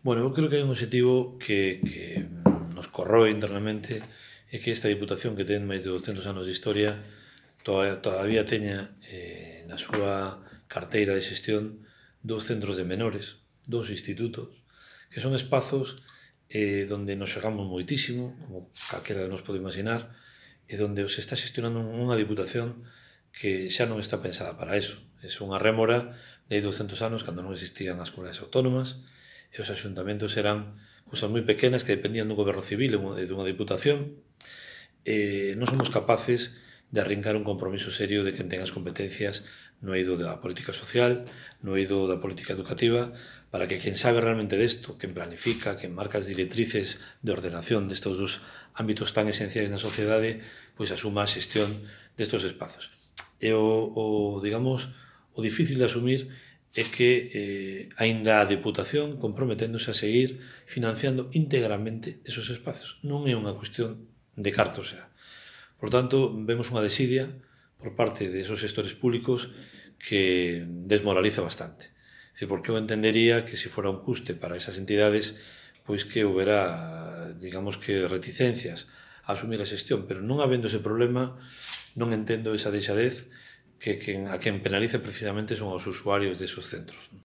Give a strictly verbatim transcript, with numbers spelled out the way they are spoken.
Bueno, eu creo que hai un objetivo que, que nos corroe internamente é que esta Diputación que ten máis de douscentos anos de historia todavía teña eh, na súa carteira de xestión dous centros de menores, dous institutos, que son espazos eh, donde nos xogamos moitísimo, como calquera de nos pode imaginar, e donde se está xestionando unha Diputación que xa non está pensada para eso. É unha rémora de hai douscentos anos, cando non existían as comunidades autónomas, e os axuntamentos eran cousas moi pequenas que dependían dun goberno civil e dunha Diputación. E non somos capaces de arrincar un compromiso serio de quen ten as competencias no eido da política social, no eido da política educativa, para que quen sabe realmente desto, quen planifica, quen marca as directrices de ordenación destes dos ámbitos tan esenciais na sociedade, pois asuma a xestión destes espazos. E o, o digamos, o difícil de asumir é que eh, aínda a Deputación comprometéndose a seguir financiando íntegramente esos espazos. Non é unha cuestión de carto xa. Por tanto, vemos unha desidia por parte de esos xestores públicos que desmoraliza bastante. É dicir, porque eu entendería que se fora un custe para esas entidades, pois que houbera, digamos que, reticencias a asumir a xestión, pero non habendo ese problema, non entendo esa deixadez que, que a quen penaliza precisamente son os usuarios desos centros.